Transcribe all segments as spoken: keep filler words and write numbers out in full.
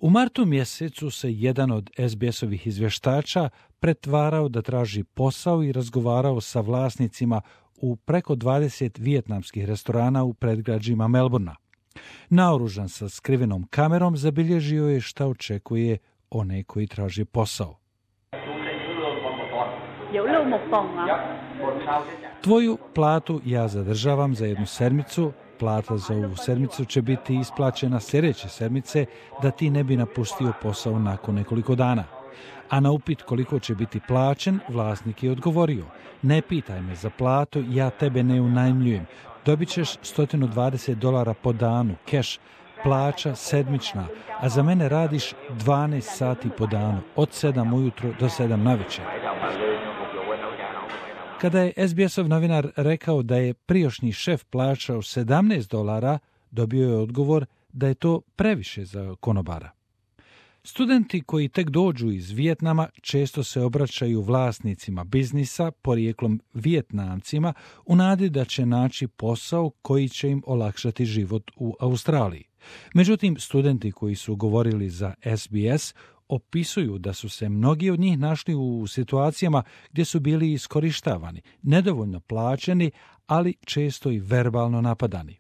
U martu mjesecu se jedan od es be esovih izvještača pretvarao da traži posao i razgovarao sa vlasnicima u preko dvadeset vijetnamskih restorana u predgrađima Melbourna. Naoružan sa skrivenom kamerom zabilježio je šta očekuje one koji traži posao. Tvoju platu ja zadržavam za jednu sedmicu, plata za ovu sedmicu će biti isplaćena sljedeće sedmice da ti ne bi napustio posao nakon nekoliko dana. A na upit koliko će biti plaćen, vlasnik je odgovorio: ne pitaj me za platu, ja tebe ne unajmljujem. Dobit ćeš sto dvadeset dolara po danu, keš, plaća sedmična, a za mene radiš dvanaest sati po danu, od sedam ujutro do sedam navečer. Kada je es be esov novinar rekao da je prijašnji šef plaćao sedamnaest dolara, dobio je odgovor da je to previše za konobara. Studenti koji tek dođu iz Vijetnama često se obraćaju vlasnicima biznisa, porijeklom Vijetnamcima, u nadi da će naći posao koji će im olakšati život u Australiji. Međutim, studenti koji su govorili za es be es opisuju da su se mnogi od njih našli u situacijama gdje su bili iskorištavani, nedovoljno plaćeni, ali često i verbalno napadani.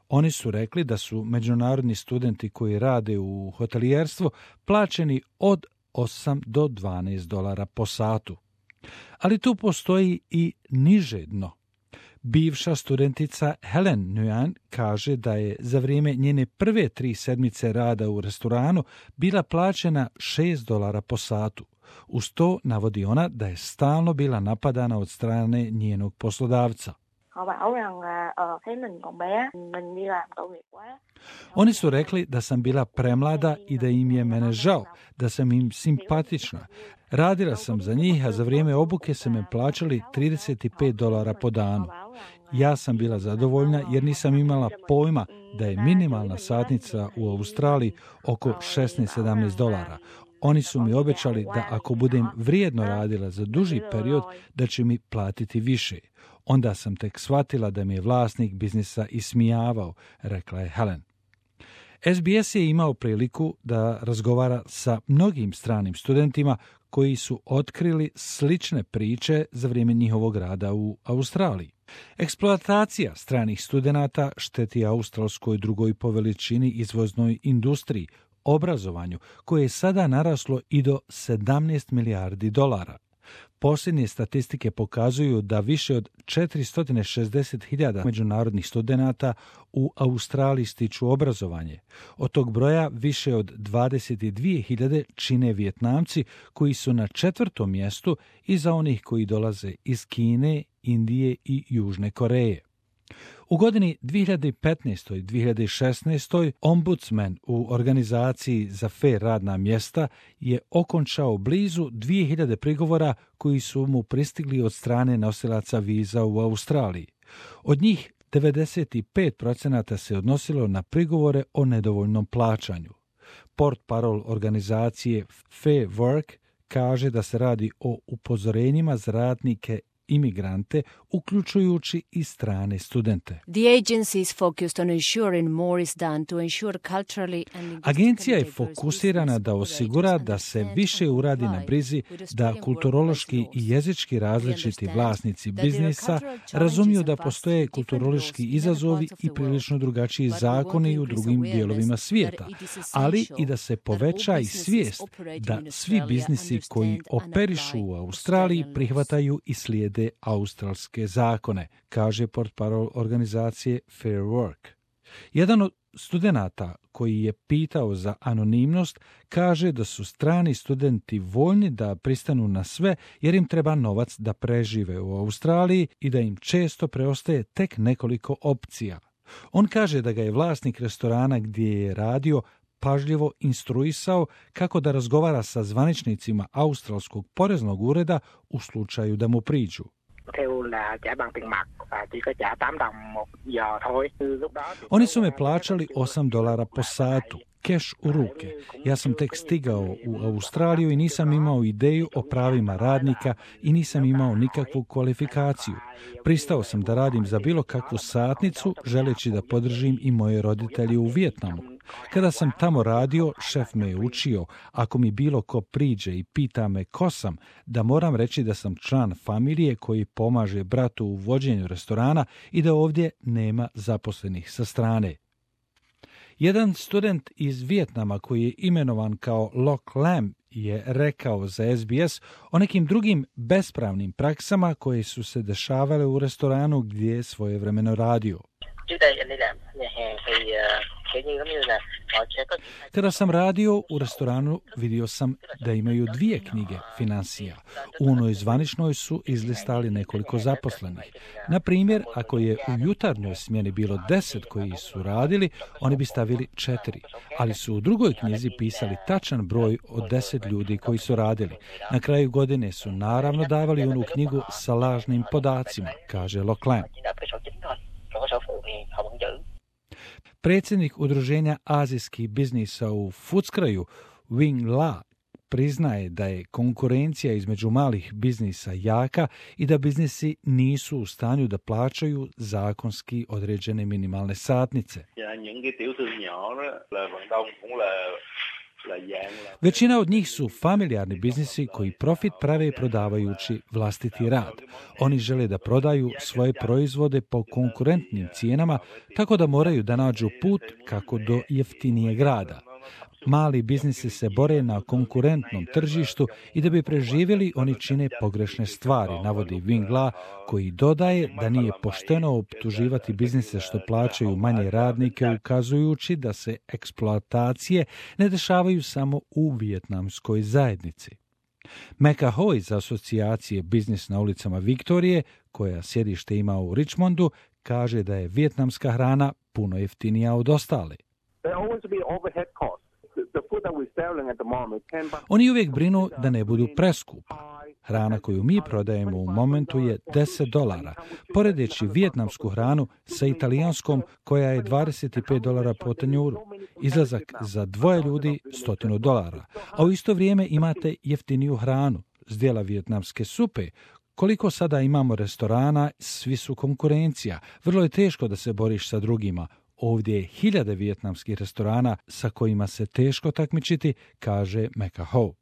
Oni su rekli da su međunarodni studenti koji rade u hotelijerstvu plaćeni od osam do dvanaest dolara po satu. Ali tu postoji i niže dno. Bivša studentica Helen Nguyen kaže da je za vrijeme njene prve tri sedmice rada u restoranu bila plaćena šest dolara po satu. Uz to navodi ona da je stalno bila napadana od strane njenog poslodavca. Oni su rekli da sam bila premlada i da im je mene žao, da sam im simpatična. Radila sam za njih, a za vrijeme obuke su me plaćali trideset pet dolara po danu. Ja sam bila zadovoljna jer nisam imala pojma da je minimalna satnica u Australiji oko šesnaest sedamnaest dolara. Oni su mi obećali da ako budem vrijedno radila za duži period, da će mi platiti više. Onda sam tek shvatila da mi je vlasnik biznisa ismijavao, rekla je Helen. es be es je imao priliku da razgovara sa mnogim stranim studentima koji su otkrili slične priče za vrijeme njihovog rada u Australiji. Eksploatacija stranih studenata šteti australskoj drugoj po veličini izvoznoj industriji, obrazovanju, koje je sada naraslo i do sedamnaest milijardi dolara. Posljednje statistike pokazuju da više od četiristo šezdeset hiljada međunarodnih studenata u Australiji stiču obrazovanje. Od tog broja više od dvadeset dvije hiljade čine Vijetnamci koji su na četvrtom mjestu iza onih koji dolaze iz Kine, Indije i Južne Koreje. U godini dvije hiljade petnaestoj i dvije hiljade šesnaestoj ombudsman u organizaciji za fer radna mjesta je okončao blizu dvije hiljade prigovora koji su mu pristigli od strane nosilaca viza u Australiji. Od njih devedeset pet posto se odnosilo na prigovore o nedovoljnom plaćanju. Portparol organizacije Fair Work kaže da se radi o upozorenjima za radnike imigrante, uključujući i strane studente. Agencija je fokusirana da osigura da se više uradi na brizi da kulturološki i jezički različiti vlasnici biznisa razumiju da postoje kulturološki izazovi i prilično drugačiji zakoni u drugim dijelovima svijeta, ali i da se poveća i svijest da svi biznisi koji operišu u Australiji prihvataju i slijede australske zakone, kaže portparol organizacije Fair Work. Jedan od studenata koji je pitao za anonimnost kaže da su strani studenti voljni da pristanu na sve jer im treba novac da prežive u Australiji i da im često preostaje tek nekoliko opcija. On kaže da ga je vlasnik restorana gdje je radio pažljivo instruisao kako da razgovara sa zvaničnicima australskog poreznog ureda u slučaju da mu priđu. Oni su me plaćali osam dolara po satu, keš u ruke. Ja sam tek stigao u Australiju i nisam imao ideju o pravima radnika i nisam imao nikakvu kvalifikaciju. Pristao sam da radim za bilo kakvu satnicu, želeći da podržim i moje roditelje u Vijetnamu. Kada sam tamo radio, šef me je učio, ako mi bilo ko priđe i pita me ko sam, da moram reći da sam član familije koji pomaže bratu u vođenju restorana i da ovdje nema zaposlenih sa strane. Jedan student iz Vijetnama koji je imenovan kao Loc Lam je rekao za S B S o nekim drugim bespravnim praksama koje su se dešavale u restoranu gdje je svojevremeno radio. Kada sam radio u restoranu, vidio sam da imaju dvije knjige financija. U onoj zvaničnoj su izlistali nekoliko zaposlenih. Na primjer, ako je u jutarnjoj smjeni bilo deset koji su radili, oni bi stavili četiri. Ali su u drugoj knjizi pisali tačan broj od deset ljudi koji su radili. Na kraju godine su naravno davali onu knjigu sa lažnim podacima, kaže Loc Lam. Predsjednik udruženja azijskih biznisa u Footscrayu, Wing La, priznaje da je konkurencija između malih biznisa jaka i da biznisi nisu u stanju da plaćaju zakonski određene minimalne satnice. Većina od njih su familijarni biznisi koji profit prave prodavajući vlastiti rad. Oni žele da prodaju svoje proizvode po konkurentnim cijenama, tako da moraju da nađu put kako do jeftinijeg rada. Mali biznisi se bore na konkurentnom tržištu i da bi preživjeli oni čine pogrešne stvari, navodi Wing La, koji dodaje da nije pošteno optuživati biznise što plaćaju manje radnike, ukazujući da se eksploatacije ne dešavaju samo u vijetnamskoj zajednici. Mecca Ho iz asocijacije Biznis na ulicama Viktorije, koja sjedište ima u Richmondu, kaže da je vijetnamska hrana puno jeftinija od ostale. Oni uvijek brinu da ne budu preskupa. Hrana koju mi prodajemo u momentu je deset dolara, poredeći vijetnamsku hranu sa italijanskom koja je dvadeset pet dolara po tanjuru. Izlazak za dvoje ljudi sto dolara, a u isto vrijeme imate jeftiniju hranu, zdjela vijetnamske supe. Koliko sada imamo restorana, svi su konkurencija. Vrlo je teško da se boriš sa drugima. Ovdje je hiljade vijetnamskih restorana sa kojima se teško takmičiti, kaže Mecca Ho.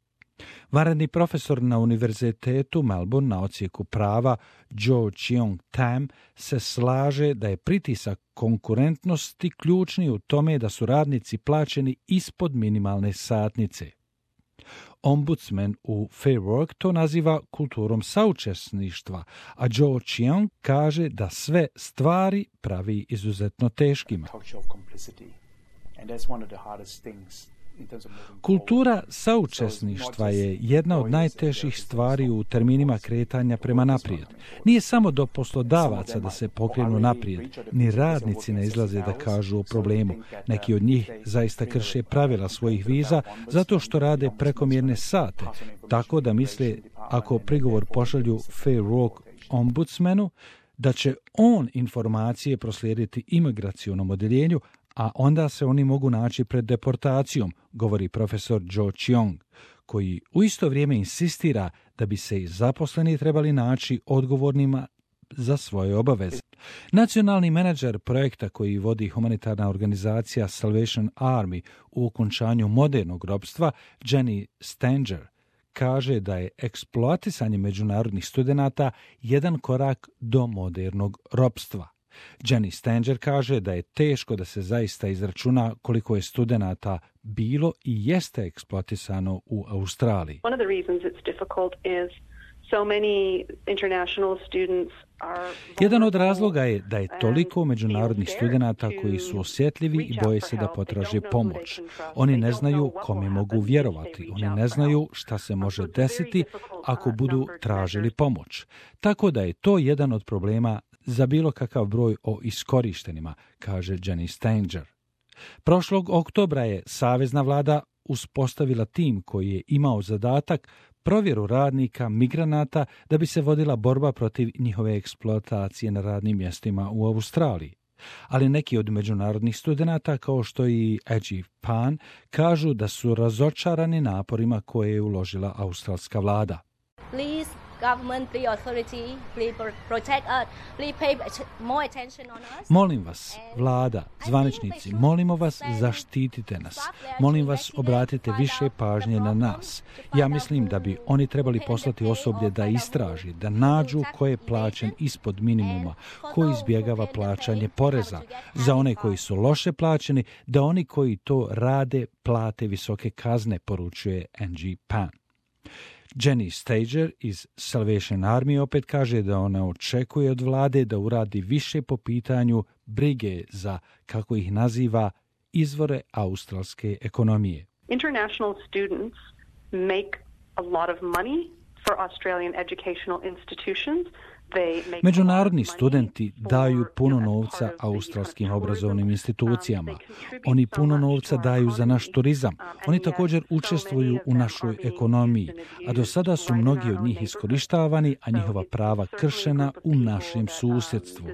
Vanredni profesor na Univerzitetu Melbourne na odsjeku prava Jo Cheong Tam se slaže da je pritisak konkurentnosti ključni u tome da su radnici plaćeni ispod minimalne satnice. Ombudsman u Fair Work to naziva kulturom saučesništva, a Jo Cheong kaže da sve stvari pravi izuzetno teškima. Kultura saučesništva je jedna od najtežih stvari u terminima kretanja prema naprijed. Nije samo do poslodavaca da se pokrenu naprijed, ni radnici ne izlaze da kažu o problemu. Neki od njih zaista krše pravila svojih viza zato što rade prekomjerne sate, tako da misle ako prigovor pošalju Fair Work ombudsmanu, da će on informacije proslijediti imigracionom odjeljenju, a onda se oni mogu naći pred deportacijom, govori profesor Jo Cheong, koji u isto vrijeme insistira da bi se i zaposleni trebali naći odgovornima za svoje obaveze. Nacionalni menadžer projekta koji vodi humanitarna organizacija Salvation Army u okončanju modernog ropstva, Jenny Stanger, kaže da je eksploatisanje međunarodnih studenata jedan korak do modernog ropstva. Jenny Stanger kaže da je teško da se zaista izračuna koliko je studenata bilo i jeste eksploatisano u Australiji. One of the reasons it's difficult is so many international students are... Jedan od razloga je da je toliko međunarodnih studenata koji su osjetljivi i boje se da potraže pomoć. Oni ne znaju kome mogu vjerovati, oni ne znaju šta se može desiti ako budu tražili pomoć. Tako da je to jedan od problema za bilo kakav broj o iskorištenima, kaže Jenny Stanger. Prošlog oktobra je savezna vlada uspostavila tim koji je imao zadatak provjeru radnika, migranata, da bi se vodila borba protiv njihove eksploatacije na radnim mjestima u Australiji. Ali neki od međunarodnih studenata, kao što i Ajib Pan, kažu da su razočarani naporima koje je uložila australska vlada. Please Molim vas, vlada, zvaničnici, molimo vas, zaštitite nas. Molim vas, obratite više pažnje na nas. Ja mislim da bi oni trebali poslati osoblje da istraži, da nađu ko je plaćen ispod minimuma, ko izbjegava plaćanje poreza. Za one koji su loše plaćeni, da oni koji to rade plate visoke kazne, poručuje N G Pan. Jenny Stager iz Salvation Army opet kaže da ona očekuje od vlade da uradi više po pitanju brige za, kako ih naziva, izvore australske ekonomije. International students make a lot of money for Australian educational institutions. Međunarodni studenti daju puno novca australskim obrazovnim institucijama. Oni puno novca daju za naš turizam. Oni također učestvuju u našoj ekonomiji, a do sada su mnogi od njih iskorištavani, a njihova prava kršena u našem susjedstvu.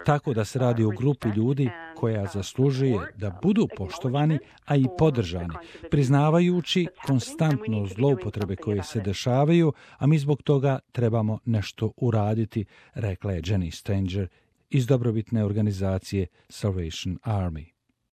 Tako da se radi o grupi ljudi koja zaslužuje da budu poštovani, a i podržani, priznavajući konstantno zloupotrebe koje se dešavaju, a mi zbog toga trebamo nešto uraditi, rekla je Jenny Stanger iz dobrobitne organizacije Salvation Army.